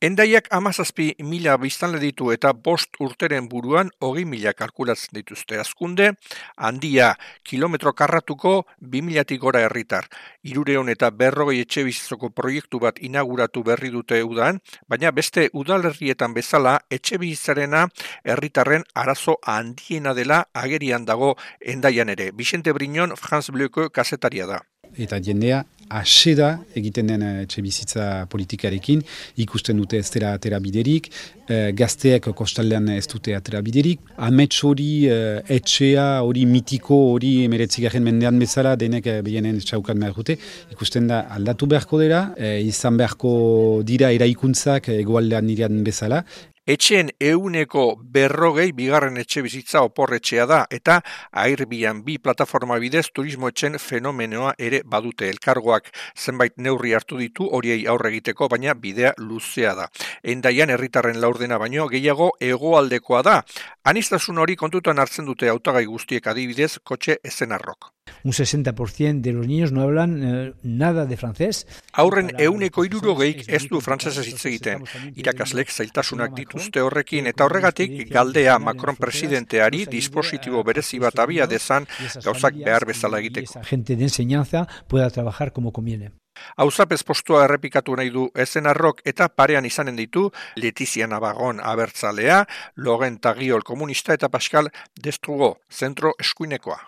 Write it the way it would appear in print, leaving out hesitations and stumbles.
Hendaiak 17.000 biztanle ditu eta 5 urteren buruan 20.000 kalkulatzen dituzte. Azkunde, handia kilometro karratuko 2.000-tik gora herritar. 300 eta 40 etxebizitzako proiektu bat inauguratu berri dute udan, baina beste udalerrietan bezala etxebizitzarena herritarren arazo handiena dela agerian dago Hendaian ere. Vicente Briñon, France Bleuko kazetaria da. Eta jendea aseda egiten den etxebizitza politikarekin, ikusten dute ez dela atera biderik, gazteek kostaldean ez dute atera biderik, amets hori, etxea hori mitiko hori 19. mendean bezala denek behienen txaukan behar dute, ikusten da aldatu beharko dela, izan beharko dira eraikuntzak egoaldean nirean bezala. Etxeen 140 bigarren etxe bizitza oporretxea da eta Airbnb plataforma bidez turismo etxen fenomenoa ere badute. Elkargoak zenbait neurri hartu ditu horiei aurre egiteko, baina bidea luzea da. Hendaian herritarren laurdena baino gehiago hegoaldekoa da. Aniztasun hori kontutan hartzen dute hautagai guztiek, adibidez kotxe ezenarrok. Un 60% de los niños no hablan nada de francés. Aurren 160 ez du frantsesez hitz egiten. Irakaslek zailtasunak dituzte horrekin eta horregatik galdea Macron presidenteari dispositibo berezi bat abia dezan gauzak behar bezala egiteko. Gente de enseñanza pueda trabajar como conviene. Auzapez postua errepikatu nahi du ezenarrok eta parean izanen ditu Letizia Navarron abertzalea, Laurent Taguiol komunista eta Pascal Destrugo zentro eskuinekoa.